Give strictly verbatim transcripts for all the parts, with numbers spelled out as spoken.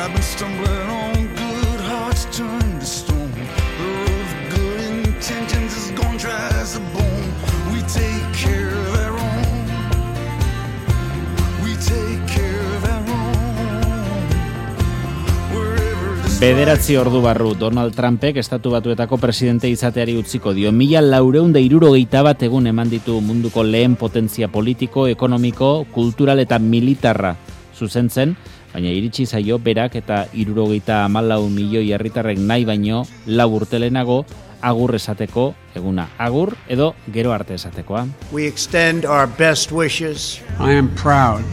I've been stumbling on good hearts turned to stone. The road of good intentions is gone dry as a bone. We take care of our own. We take care of our own. Wherever the Bederatzi ordu barru Donald Trumpek Estatu Batuetako presidente izateari utziko dio. Mila laureun da hirurogeita bat egun eman ditu munduko lehen potentzia politiko, ekonomiko, kultural eta militarra zuzentzen, baina iritsi zaio berak eta hirurogeita hamalau milioi herritarrek nahi baino lau urte lehenago agur esateko eguna. Agur edo gero arte esatekoa. We extend our best wishes. I am proud,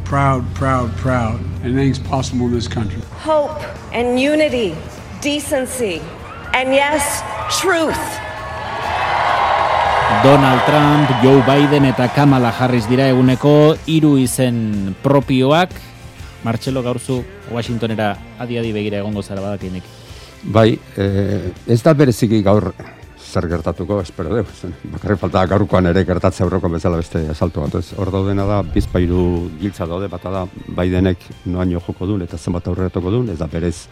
proud, proud, proud, and anything's possible in this country. Hope and unity, decency, and yes, truth. Donald Trump, Joe Biden eta Kamala Harris dira eguneko hiru izen propioak. Martxelo, gaurzu Washingtonera adi-adi begira egongo zara badakienik. Bai, eh, ez da bereziki gaur zer gertatuko, espero deu. Bakarrik falta gaurkoan ere gertatzea aurreko bezala beste asalto bat. Ez, hor daudena da, bizpairu giltza daude, bata da Bidenek noaino joko duen eta zenbat aurretoko duen, ez da berez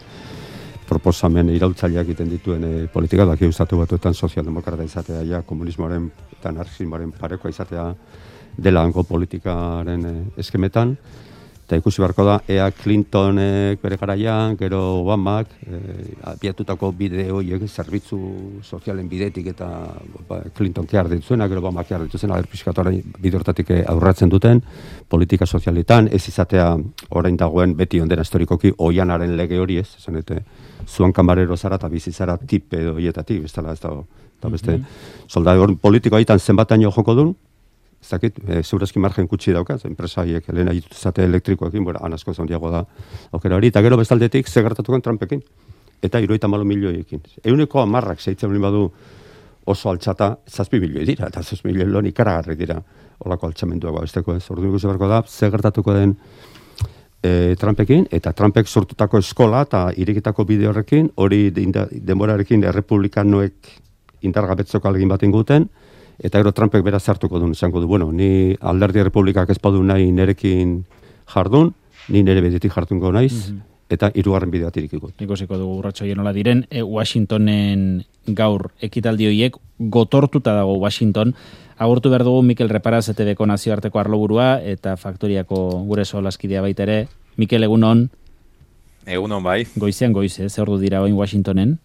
proposamen iraultzaileak egiten dituen e, politika, daki Estatu Batuetan sozialdemokrata izatea, ja, komunismoaren eta anarkismoaren parekoa izatea dela hango politikaren e, eskemetan. Eta ikusi beharko da, ea Clintonek bere garaian, gero Obamak, e, abiatutako bide horiek zerbitzu sozialen bidetik eta ba, Clinton kear dituzena, gero Obamak kear dituzena, agerpiskatoaren bide hortatik aurratzen duten, politika sozialitan, ez izatea orain dagoen beti ondena historikoki oianaren lege hori ez, esan eta zuan kanbarero zara eta bizizara tip edo hietatik, bestela ez dago, eta beste, mm-hmm. soldadu politiko haitan zenbataino joko duen, ez dakit, e, zeurazki margen kutsi daukaz, enpresaiek lehen agituzate elektrikoekin, bueno, anazko zondiago da aukera hori, eta gero bestaldetik ze gertatuko Trumpekin, eta hirurogeita hamalau milioiekin. Euneko hamarrak zeitzen bali badu oso altxata, zazpi milioi dira, eta zazpi milioi lon ikaragarri dira olako altxamenduago besteko ez. Orduan ikusi beharko da, ze gertatuko den e, Trumpekin, eta Trumpek sortutako eskola eta irikitako bide horrekin, hori denborarekin errepublikanoek indargabetzoko alegin bat inguten, eta gero Trumpek beraz hartuko duen, esango du, bueno, ni alderdi republikak ez badu nahi nerekin jardun, ni nere bidetik jardungo naiz, mm-hmm. eta hirugarren bideat irikiko. Ikusiko dugu urratxo nola diren, e, Washingtonen gaur ekitaldi horiek gotortuta dago Washington. Agurtu behar dugu Mikel Reparaz, E T Bko nazioarteko arloburua, eta faktoriako gure solaskidea baita ere. Mikel, egunon? Egunon bai. Goizean goize, ze ordu dira oin Washingtonen?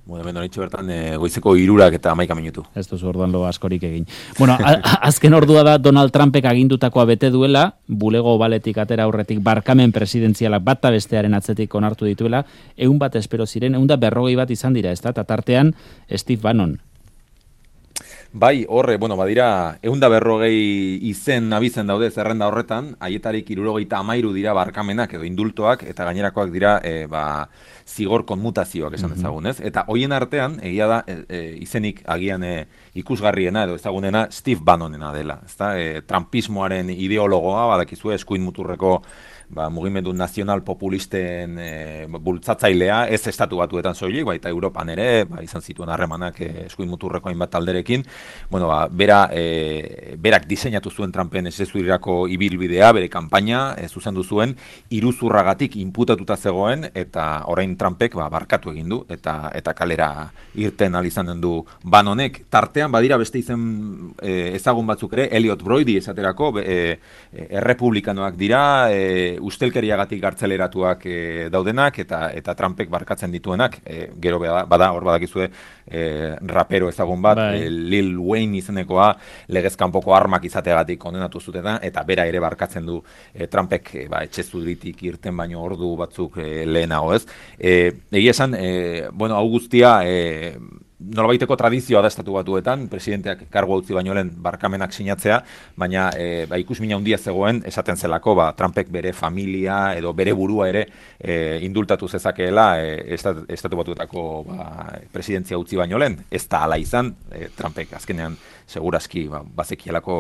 Bueno, hemen horitxo bertan e, goizeko hirurak eta hamaika minutu. Ez duzu orduan lo askorik egin. Bueno, a, azken ordua da Donald Trumpek agindutakoa bete duela, bulego baletik atera aurretik barkamen presidentzialak bata bestearen atzetik onartu dituela, egun bat espero ziren, egun da berrogei bat izan dira, ez da, eta tartean Steve Bannon. Bai, horre, bueno, badira, egun da berrogei izen abizen daude zerrenda horretan, haietarik hirurogeita hamairu dira barkamenak edo indultoak, eta gainerakoak dira, e, ba, zigor konmutazioak esan ezagun, ez? Eta hoien artean, egia da, e, e, izenik agian e, ikusgarriena edo ezagunena Steve Bannonena dela, ezta? E, Trumpismoaren ideologoa, badakizue eskuin muturreko ba, mugimendu nazional populisten e, bultzatzailea, ez Estatu Batuetan soilik, baita Europan ere, ba, izan zituen harremanak e, eskuin muturreko hainbat talderekin, bueno, ba, bera, e, berak diseinatu zuen Trumpen esezurirako ibilbidea, bere kanpaina, e, zuzendu zuen, iruzurragatik inputatuta zegoen, eta orain Trumpek ba, barkatu egin du, eta eta kalera irten alizanen du Bannonek. Tartean, badira beste izen e, ezagun batzuk ere, Elliot Brody esaterako, e, e, errepublikanoak dira, e, ustelkeriagatik gartzeleratuak e, daudenak eta eta Trumpek barkatzen dituenak, e, gero bada, bada hor badakizue e, rapero ezagun bat, e, Lil Wayne izenekoa legez kanpoko armak izateagatik kondenatu zutena eta bera ere barkatzen du e, Trumpek e, ba, etxe zuritik irten baino ordu batzuk e, lehenago, ez? E, egia esan, e, bueno, hau guztia e, nolabaiteko tradizioa da Estatu Batuetan, presidenteak kargu utzi baino lehen barkamenak sinatzea, baina e, ba, ikusmina handia zegoen esaten zelako, ba, Trumpek bere familia edo bere burua ere e, indultatu zezakeela e, estat, Estatu Batuetako ba, presidentzia utzi baino lehen. Ez da hala izan, e, Trumpek azkenean segurazki ba, bazekielako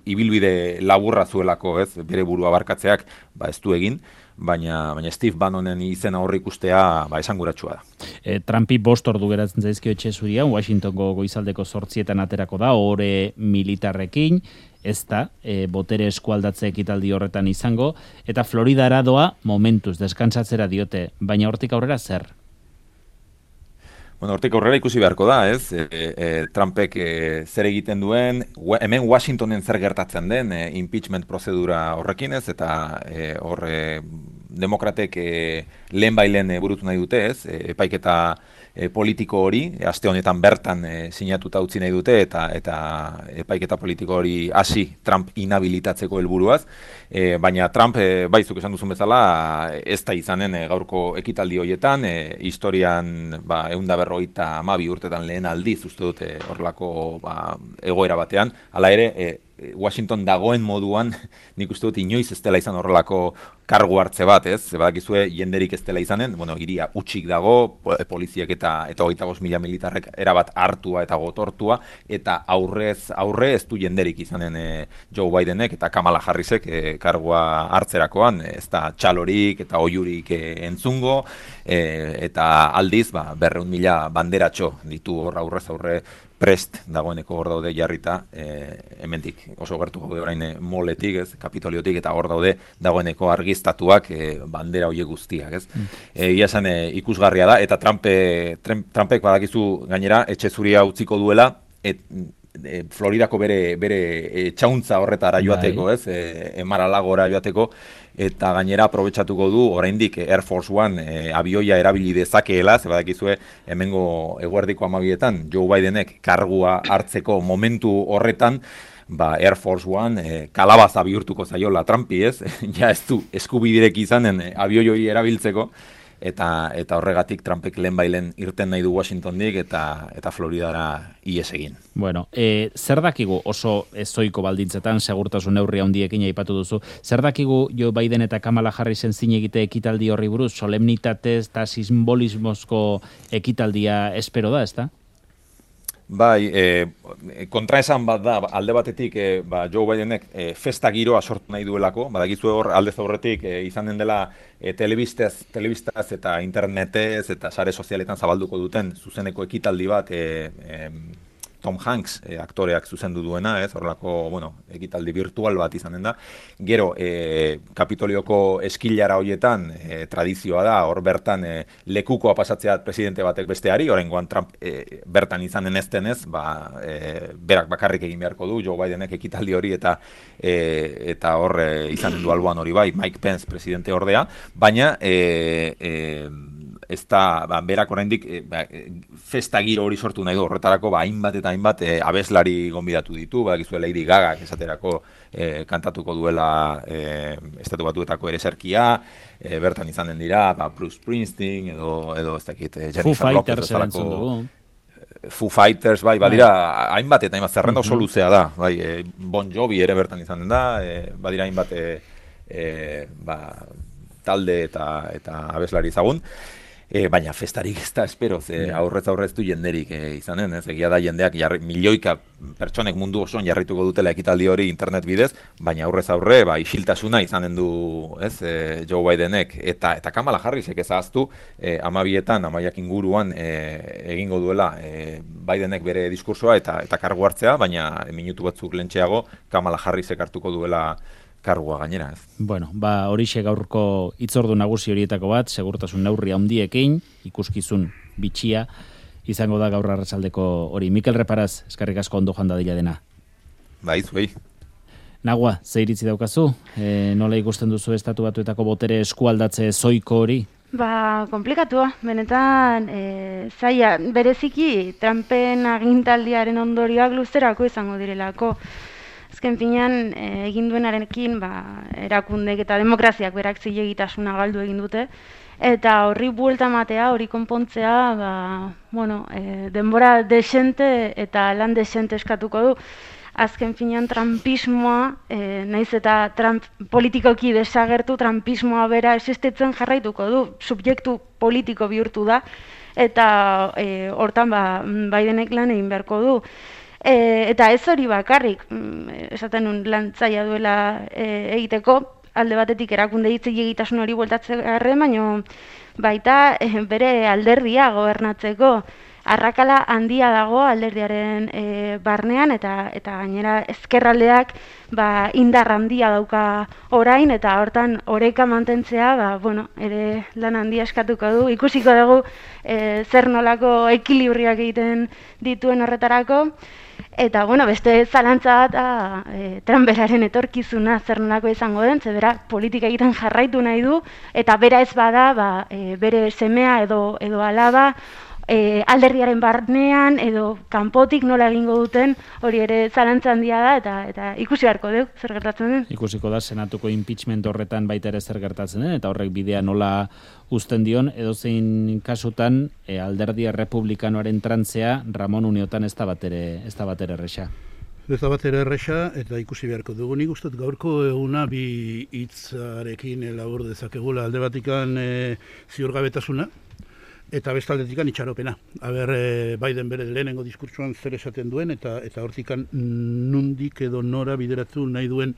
ibilbide laburra zuelako, ez, bere burua barkatzeak, ba ez du egin, baina baina Steve Bannonen izena horri ikustea ba esanguratsua da. E, Trumpi bost ordu geratzen zaizkio etxe zurian, Washingtongo goizaldeko zortzietan aterako da, ore militarrekin, ez da, e, botere eskualdatze ekitaldi horretan izango, eta Floridara doa momentuz, deskantsatzera diote, baina hortik aurrera zer? Bueno, hortik aurrera ikusi beharko da, ez? E, e, Trumpek e, zer egiten duen, hemen Washingtonen zer gertatzen den e, impeachment prozedura horrekin, ez? Eta e, hor e, demokratek e, lehen bailen e, burutu nahi dute, ez? E, epaiketa e, politiko hori, e, aste honetan bertan e, sinatuta utzi nahi dute, eta eta epaiketa politiko hori hasi Trump inhabilitatzeko helburuaz, e, baina Trump, e, baizuk esan duzun bezala, ez da izanen e, gaurko ekitaldi horietan, e, historian ba, eunda berrogeita hamabi urtetan lehen aldiz uste dute horrelako ba, egoera batean, hala ere, e, Washington dagoen moduan, nik uste dut inoiz ez dela izan horrelako kargu hartze bat, ez? Badakizue jenderik ez dela izanen, bueno, iria utxik dago, poliziek eta eta hogeita bost mila militarrek erabat hartua eta gotortua, eta aurrez aurre ez du jenderik izanen e, Joe Bidenek eta Kamala Harrisek e, kargua hartzerakoan, ez da txalorik eta oiurik e, entzungo, e, eta aldiz, ba, berreun mila banderatxo ditu hor aurrez aurre prest dagoeneko hor daude jarrita, e, hemendik oso gertu gaude orain e, moletik, ez, Kapitoliotik, eta hor daude dagoeneko argiztatuak e, bandera hoiek guztiak, ez. Mm. E, ia esan e, ikusgarria da, eta Trumpe, Trumpek badakizu gainera, etxe zuria utziko duela, et, e, Floridako bere, bere e, txauntza horretara joateko, ez, e, Mar-a-Lagora joateko, eta gainera aprobetxatuko du oraindik Air Force One e, abioia erabili dezakeela, ze badakizue hemengo eguerdiko hamabietan Joe Bidenek kargua hartzeko momentu horretan, ba Air Force One e, kalabaza bihurtuko zaiola Trumpi, ez? Ja ez du eskubidirek izanen e, abioi hori erabiltzeko, eta eta horregatik Trumpek lehenbailen irten nahi du Washingtondik eta eta Floridara ihes egin. Bueno, e, zer dakigu oso ezoiko baldintzetan, segurtasun neurri handiekin aipatu duzu, zer dakigu Joe Biden eta Kamala Harrisen zin egite ekitaldi horri buruz, solemnitatez eta simbolismozko ekitaldia espero da, ezta? Bai, e, kontraesan bat da, alde batetik e, ba, Joe Bidenek e, festa giroa sortu nahi duelako, badakizu hor aldez aurretik e, izanen dela e, telebistaz, telebistaz eta internetez eta sare sozialetan zabalduko duten zuzeneko ekitaldi bat e, e, Tom Hanks e, aktoreak zuzendu duena, ez, horrelako, bueno, ekitaldi virtual bat izanen da. Gero, e, Kapitolioko eskilara hoietan e, tradizioa da, hor bertan e, lekukoa pasatzea presidente batek besteari, oraingoan Trump e, bertan izanen ez denez, ba, e, berak bakarrik egin beharko du, Joe Bidenek ekitaldi hori eta e, eta hor e, izanen du alboan hori bai, Mike Pence presidente ordea, baina e, e, ez da, ba, berak oraindik e, ba, festa giro hori sortu nahi du, horretarako ba, hainbat eta hainbat e, abeslari gonbidatu ditu, badakizu Lady Gaga esaterako e, kantatuko duela e, estatu batuetako ereserkia, e, bertan izanen dira, ba, Bruce Springsteen edo, edo ez dakit, e, Jennifer Lopez bezalako Foo Fighters, bai, badira, hainbat eta hainbat zerrenda oso luzea da, bai, e, Bon Jovi ere bertan izanen da, e, badira hainbat e, e, ba, talde eta, eta abeslari ezagun. E, baina festarik ez da espero, ze aurrez aurrez du jenderik e, izanen, ez, egia da jendeak jarri, milioika pertsonek mundu osoan jarrituko dutela ekitaldi hori internet bidez, baina aurrez aurre, ba, isiltasuna izanen du, ez, e, Joe Bidenek, eta eta Kamala Harrisek ezaztu, e, amabietan, amaiak inguruan e, egingo duela e, Bidenek bere diskursoa eta eta kargu hartzea, baina minutu batzuk lentxeago Kamala Harrisek hartuko duela kargua gainera, ez. Bueno, ba, horixe gaurko hitzordu nagusi horietako bat, segurtasun neurri handiekin, ikuskizun bitxia, izango da gaur arratsaldeko hori. Mikel Reparaz, eskerrik asko ondo joan dadila dena. Bai, zuei. Nagua, ze iritzi daukazu? E, nola ikusten duzu estatu batuetako botere eskualdatze zoiko hori? Ba, komplikatua, benetan, e, zaila, bereziki Trumpen agintaldiaren ondorioak luzerako izango direlako. Azken finean, e, egin duenarekin, ba, erakundek eta demokraziak berak zilegitasuna galdu egin dute, eta horri buelta matea, hori konpontzea, ba, bueno, e, denbora desente eta lan desente eskatuko du. Azken finean, Trumpismoa, e, naiz eta Trump politikoki desagertu, Trumpismoa bera existitzen jarraituko du, subjektu politiko bihurtu da, eta e, hortan, ba, Bidenek lan egin beharko du. E, eta ez hori bakarrik, mm, esaten nun lan zaila duela e, egiteko, alde batetik erakunde hitz egitasun hori bueltatzearren, baino baita e, bere alderdia gobernatzeko arrakala handia dago alderdiaren e, barnean, eta eta gainera ezkerraldeak ba, indar handia dauka orain, eta hortan oreka mantentzea ba, bueno, ere lan handia eskatuko du, ikusiko dugu e, zer nolako ekilibriak egiten dituen horretarako. Eta, bueno, beste zalantza bat, e, Trumperaren etorkizuna zer nolako izango den, ze bera politika egiten jarraitu nahi du, eta bera ez bada, ba, e, bere semea edo, edo alaba, e, alderdiaren barnean edo kanpotik nola egingo duten, hori ere zalantza handia da, eta eta ikusi beharko dugu zer gertatzen den. Ikusiko da senatuko impeachment horretan baita ere zer gertatzen den, eta horrek bidea nola uzten dion, edozein kasutan e, alderdi errepublikanoaren trantzea Ramon Uniotan ez da batere, ez da batere erresa. Ez da batere erresa, eta ikusi beharko dugu. Nik uste gaurko eguna bi hitzarekin labur dezakegula, alde batikan e, ziurgabetasuna, eta bestaldetikan itxaropena. Aber, e, Biden bere lehenengo diskurtsuan zer esaten duen, eta eta hortikan nundik edo nora bideratu nahi duen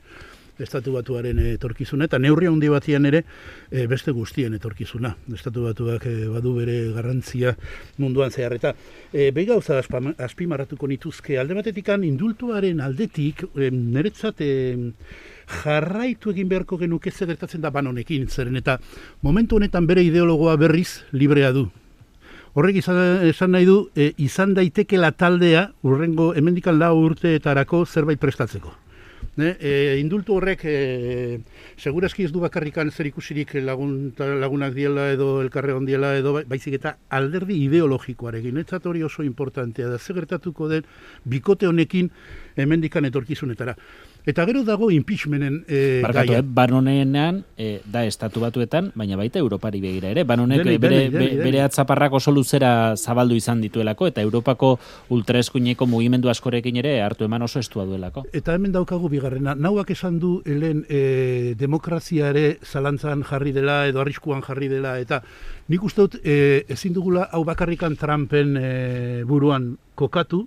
Estatu Batuaren etorkizuna, eta neurri handi batian ere e, beste guztien etorkizuna. Estatu Batuak e, badu bere garrantzia munduan zehar. Eta e, behi gauza azpimarratuko nituzke, alde batetikan indultuaren aldetik, e, niretzat e, jarraitu egin beharko genuke zer gertatzen da Bannonekin, zeren eta momentu honetan bere ideologoa berriz librea du. Horrek izan, esan nahi du, e, izan daitekela taldea, urrengo hemendikan lau urteetarako zerbait prestatzeko. Ne? E, indultu horrek e, segurazki ez du bakarrikan zer ikusirik lagun, lagunak diela edo elkarre ondiela edo baizik eta alderdi ideologikoarekin. Etzat hori oso importantea da, zer gertatuko den bikote honekin hemendikan etorkizunetara. Eta gero dago impeachmenten e, Barkatu, gaia. Eh? Bannonenean e, da Estatu Batuetan, baina baita Europari begira ere. Bannonek bere, bere, bere, bere atzaparrak oso luzera zabaldu izan dituelako, eta Europako ultraeskuineko mugimendu askorekin ere hartu eman oso estua duelako. Eta hemen daukagu bigarrena, nauak esan du helen e, demokrazia ere zalantzan jarri dela edo arriskuan jarri dela, eta nik uste dut e, ezin dugula hau bakarrikan Trumpen e, buruan kokatu.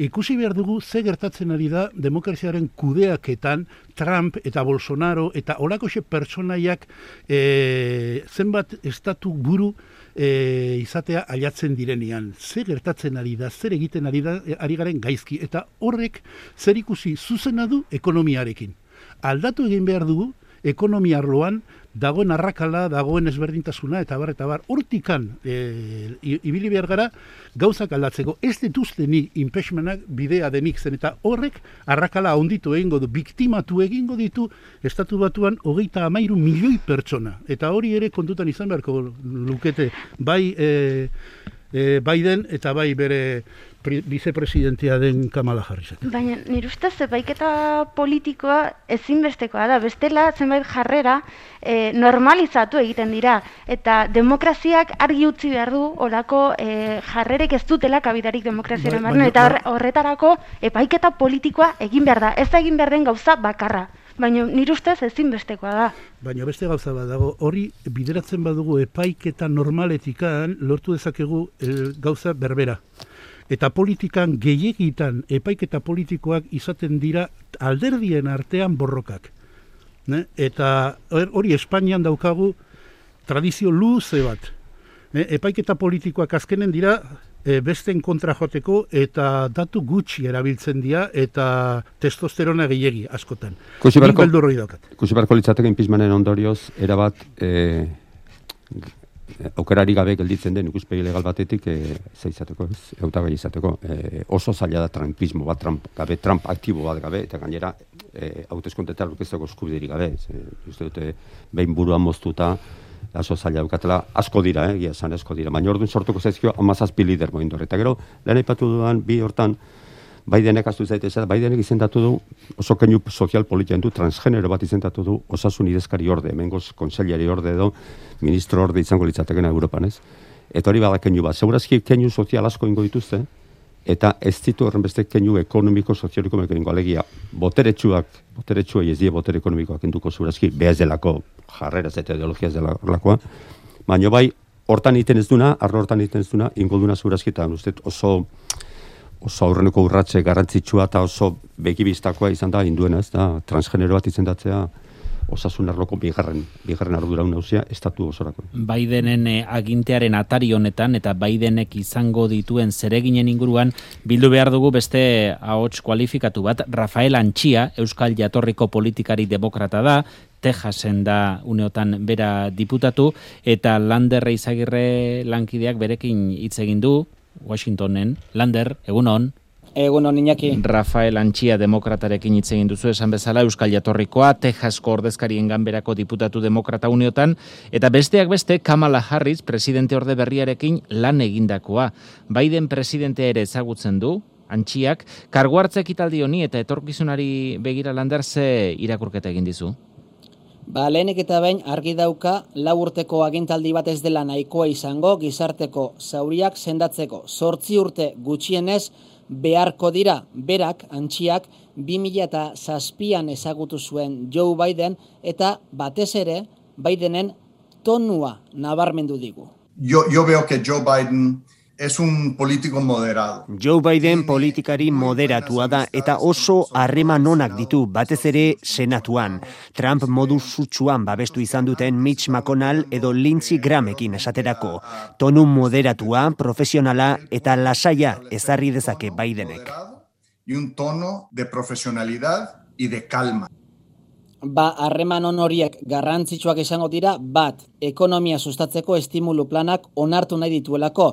Ikusi behar dugu ze gertatzen ari da demokraziaren kudeaketan Trump eta Bolsonaro eta olakoxe pertsonaiak e, zenbat estatu buru e, izatea ailatzen direnean. Ze gertatzen ari da, zer egiten ari da, ari garen gaizki, eta horrek zer ikusi zuzena du ekonomiarekin. Aldatu egin behar dugu ekonomia arloan dagoen arrakala, dagoen ezberdintasuna, eta bar, eta bar, hortikan e, ibili behar gara gauzak aldatzeko. Ez dituzte ni impeachmentak bidea denik zen, eta horrek arrakala onditu egingo du, biktimatu egingo ditu Estatu Batuan hogeita hamairu milioi pertsona. Eta hori ere kontutan izan beharko lukete, bai e, e, Biden eta bai bere vicepresidentia den Kamala Harris. Baina nire ustez epaiketa politikoa ezinbestekoa da. Bestela zenbait jarrera e, normalizatu egiten dira. Eta demokraziak argi utzi behar du olako e, jarrerek ez dutela kabidarik demokraziaren barne. Eta horretarako epaiketa politikoa egin behar da. Ez da egin behar den gauza bakarra. Baina nire ustez ezinbestekoa da. Baina beste gauza bat dago, hori bideratzen badugu epaiketa normaletikan lortu dezakegu el, gauza berbera. Eta politikan gehiegitan epaiketa politikoak izaten dira alderdien artean borrokak. Ne? Eta hori Espainian daukagu tradizio luze bat. Ne? Epaiketa politikoak azkenen dira e, besten kontra joteko eta datu gutxi erabiltzen dira eta testosterona gehiegi askotan. Kusi barko litzateke impeachmenten ondorioz erabat e, aukerari gabe gelditzen den ikuspegi legal batetik e, zeizateko, ez, hautagai izateko. E, oso zaila da Trumpismo bat, Trump gabe, Trump aktibo bat gabe, eta gainera e, hauteskundeetan aurkezteko eskubiderik gabe. E, uste dute behin buruan moztuta, oso zaila daukatela, asko dira, eh, egia esan asko dira. Baina orduan sortuko zaizkio hamazazpi lider moindor. Eta gero, lehen aipatu dudan bi hortan, Bidenek astu zaitezea, Bidenek izendatu du, oso keinu sozial politian du, transgenero bat izendatu du, osasun idezkari orde, hemengoz konseilari orde edo, ministro orde izango litzatekena Europan, ez? Eta hori bada keinu bat. Segurazki keinu sozial asko ingo dituzte, eta ez ditu horrenbeste keinu ekonomiko, sozioliko mekengo alegia. Boteretsuak, boteretsuei ez die botere ekonomikoak induko segurazki, behaz delako jarreraz eta ideologiaz delakoa, baina bai, hortan iten ez duna, arlo hortan iten ez duna, ingo duna segurazki, eta uste oso oso aurreneko urratxe garrantzitsua eta oso begibistakoa izan da induena, ez da, transgenero bat izendatzea osasun arloko bigarren, bigarren ardura nagusia estatu osorako. Bidenen eh, agintearen atari honetan eta Bidenek izango dituen zereginen inguruan bildu behar dugu beste ahots kualifikatu bat. Rafael Antxia, Euskal Jatorriko politikari demokrata da, Texasen da uneotan bera diputatu, eta Lander Izagirre lankideak berekin hitz egin du Washingtonen. Lander, egunon. Egunon, Iñaki. Rafael Antxia demokratarekin hitz egin duzu, esan bezala Euskal Jatorrikoa, Texasko ordezkarien ganberako diputatu demokrata uneotan, eta besteak beste Kamala Harris presidente orde berriarekin lan egindakoa. Biden presidentea ere ezagutzen du, Antxiak, kargu hartze ekitaldi honi eta etorkizunari begira Lander ze irakurketa egin dizu? Ba, lehenik eta behin argi dauka lau urteko agintaldi bat ez dela nahikoa izango gizarteko zauriak sendatzeko. Zortzi urte gutxienez beharko dira, berak, Antxiak, bi mila zazpian ezagutu zuen Joe Biden eta batez ere Bidenen tonua nabarmendu digu. Yo, yo veo que Joe Biden es un político moderado. Joe Biden politikari moderatua da eta oso harreman onak ditu, batez ere senatuan. Trump modu sutsuan babestu izan duten Mitch McConnell edo Lindsey Grahamekin esaterako. Tonu moderatua, profesionala eta lasaia ezarri dezake Bidenek. Y un tono de profesionalidad y de calma. Ba, harreman on horiek garrantzitsuak izango dira, bat, ekonomia sustatzeko estimulu planak onartu nahi dituelako,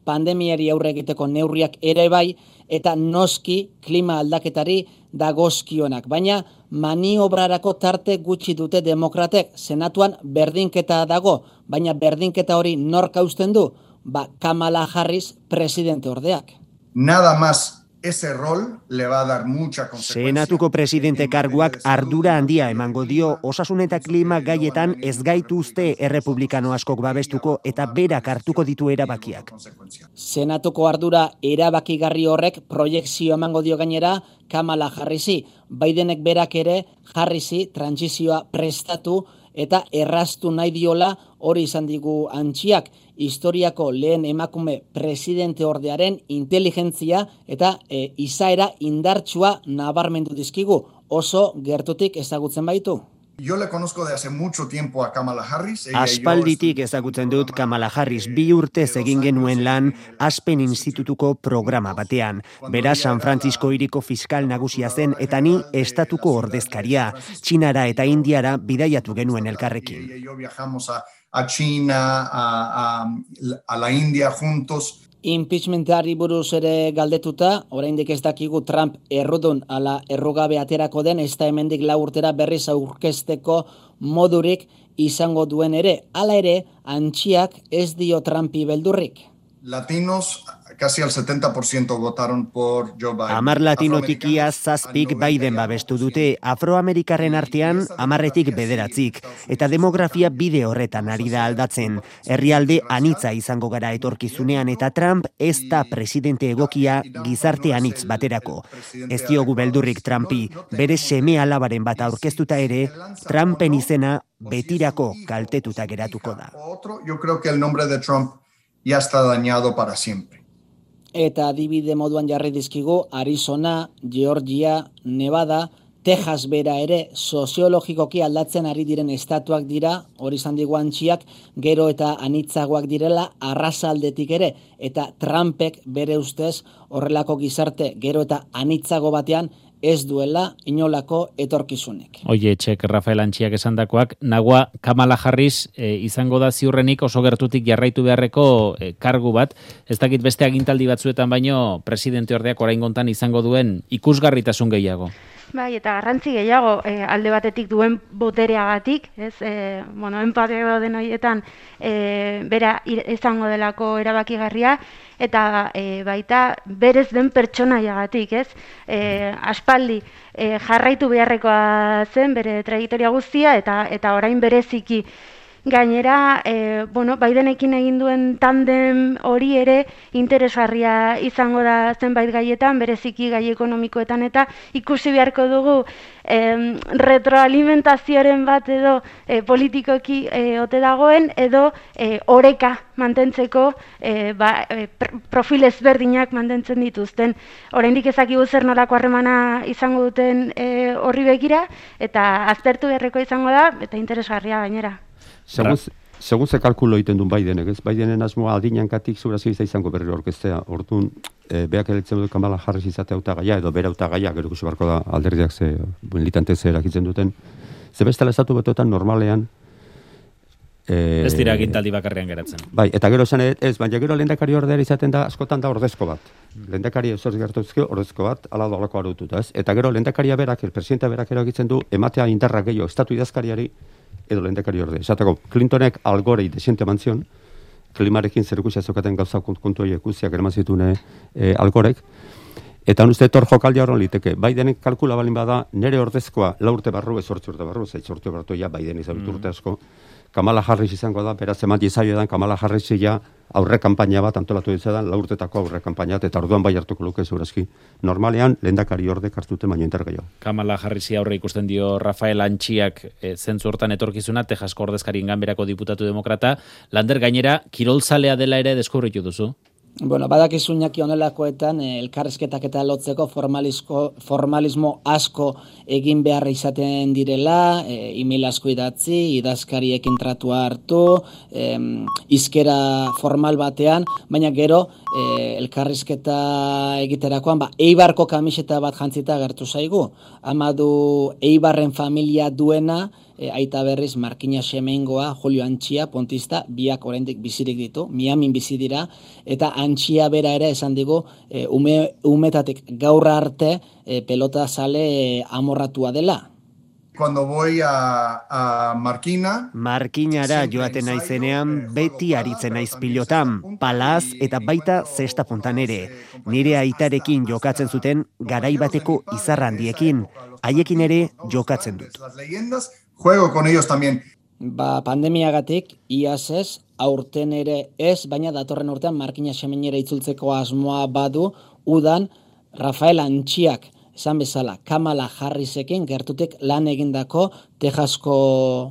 pandemiari aurre egiteko neurriak ere bai, eta noski klima aldaketari dagozkionak. Baina maniobrarako tarte gutxi dute demokratek, senatuan berdinketa dago, baina berdinketa hori nork hausten du? Ba, Kamala Harris presidente ordeak. Nada más ese rol le va a dar mucha consecuencia. Senatuko presidente karguak ardura handia emango dio osasun eta klima gaietan ez gaituzte errepublikano askok babestuko eta berak hartuko ditu erabakiak. Senatuko ardura erabakigarri horrek proiekzio emango dio gainera Kamala Harrisi. Bidenek berak ere Harrisi trantsizioa prestatu eta erraztu nahi diola hori izan digu Antxiak. Historiako lehen emakume presidente ordearen inteligentzia eta e, izaera indartsua nabarmendu dizkigu, oso gertutik ezagutzen baitu. Yo le conozco de hace mucho tiempo a Kamala Harris. Aspalditik ezagutzen dut Kamala Harris, bi urtez egin genuen lan Aspen Institutuko programa batean. Bera San Francisco hiriko fiskal nagusia zen eta ni estatuko ordezkaria. Txinara eta Indiara bidaiatu genuen elkarrekin. Yo viajamos a a China, a, a, a la India juntos. Impeachmentari buruz ere galdetuta, oraindik ez dakigu Trump errudun ala errugabe aterako den, ez da hemendik lau urtera berriz aurkezteko modurik izango duen ere. Hala ere, Antxiak ez dio Trumpi beldurrik. Latinos, casi al setenta por ciento votaron por Joe Biden. Amar latinotik ia zazpik Biden babestu dute, afroamerikarren artean amarretik bederatzik, eta demografia bide horretan ari da aldatzen. Herrialde anitza izango gara etorkizunean eta Trump ez da presidente egokia gizarte anitz baterako. Ez diogu beldurrik Trumpi, bere seme alabaren bat aurkeztuta ere, Trumpen izena betirako kaltetuta geratuko da. Yo creo que el nombre de Trump ya está dañado para siempre. Eta adibide moduan jarri dizkigu Arizona, Georgia, Nevada, Texas bera ere soziologikoki aldatzen ari diren estatuak dira, hori izan digu Antxiak, gero eta anitzagoak direla arrasaldetik ere, eta Trumpek bere ustez horrelako gizarte gero eta anitzago batean ez duela inolako etorkizunek. Oie, txek, Rafael Antxiak esandakoak, nagua Kamala Harris e, izango da ziurrenik oso gertutik jarraitu beharreko e, kargu bat, ez dakit beste agintaldi batzuetan baino presidente ordeak oraingontan izango duen ikusgarritasun gehiago. Bai, eta garrantzi gehiago e, alde batetik duen botereagatik, ez, e, bueno, empateo den horietan e, bera izango delako erabakigarria, eta e, baita berez den pertsonaiagatik, ez? E, aspaldi e, jarraitu beharrekoa zen bere trajektoria guztia eta eta orain bereziki gainera, e, bueno, Bidenekin egin duen tandem hori ere interesgarria izango da zenbait gaietan, bereziki gai ekonomikoetan eta ikusi beharko dugu e, retroalimentazioaren bat edo e, politikoki e, ote dagoen edo e, oreka mantentzeko e, ba, e, profil ezberdinak mantentzen dituzten. Oraindik ezakigu zer nolako harremana izango duten e, horri begira, eta aztertu beharreko izango da, eta interesgarria gainera. Segun, segun ze kalkulo egiten duen Bidenek, ez? Bidenen asmoa aldinankatik zurazki izango berriro orkestea. Orduan, e, beak eletzen dut Kamala Harris izate hautagaia, edo bere hautagaia, gero ikusi beharko da alderdiak ze, militante ze erakitzen duten. Ze bestela estatu betoetan normalean, E, ez dira agintaldi bakarrean geratzen. Bai, eta gero esan ez, baina gero lehendakari ordea izaten da, askotan da ordezko bat. Lehendakari ez hori gertuzke, ordezko bat, ala dolako arututa, ez? Eta gero lehendakaria berak, el presidenta berak eragitzen du, ematea indarra gehiago estatu idazkariari, edo lehendakari ordea. Esateko, Clintonek algorei desiente mantzion, klimarekin zerikusia zokaten gauza kontu horiek guztiak eraman zituen e, algorek, eta uste tor jokaldia horren liteke. Bidenek kalkula balin bada, nere ordezkoa laurte barru, ez hortzi urte barru, ez hortzi barru, ja Biden izabit urte asko, Kamala Harris izango da, beraz emat izaio edan, Kamala Harris ja aurre kanpaina bat antolatu ditzedan, laurtetako aurre kanpaina, eta orduan bai hartuko luke zurazki. Normalean, lehendakari ordek hartute baino intergeio. Kamala Harrisi aurre ikusten dio Rafael Antxiak e, zentzu hortan etorkizuna, Texasko ordezkarien ganberako diputatu demokrata, Lander gainera, kirolzalea dela ere deskubritu duzu? Bueno, badakizu Iñaki honelakoetan eh, elkarrizketak eta lotzeko formalismo asko egin beharra izaten direla, eh, email asko idatzi, idazkariekin tratua hartu, eh, izkera formal batean, baina gero eh, elkarrizketa egiterakoan, ba, Eibarko kamiseta bat jantzita gertu zaigu. Ama du Eibarren familia duena, E, aita berriz Markina Xemeingoa, Julio Antxia, pontista, biak oraindik bizirik ditu, Miamin bizi dira, eta Antxia bera ere esan digu, e, ume, umetatik gaur arte e, pelota sale e, amorratua dela. Cuando voy a, a Markina... Markinara joaten naizenean beti aritzen naiz pilotan, palaz eta baita zesta puntan ere. Nire aitarekin jokatzen zuten garai bateko izarrandiekin, haiekin ere jokatzen dut. Juego con ellos también. Ba, pandemiagatik, iaz ez, aurten ere ez, baina datorren urtean Markina Xemeinera itzultzeko asmoa badu, udan Rafael Antxiak, esan bezala, Kamala Harrisekin gertutek lan egindako Texasko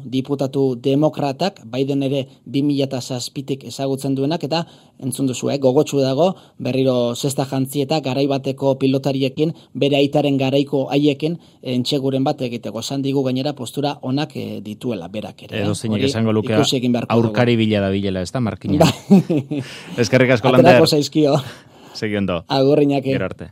diputatu demokratak, Biden ere bi mila zazpitik ezagutzen duenak, eta entzun duzu, eh, gogotsu dago, berriro zesta jantzi eta garai bateko pilotariekin, bere aitaren garaiko haiekin, entxeguren bat egiteko. Esan digu gainera postura onak eh, dituela, berak ere. Edo zeinek esango luke aurkari bila da bilela, ez da, Markina? Eskerrik asko, Lander. Aterako zaizkio. Segiondo. Agurriñaki. Gero arte.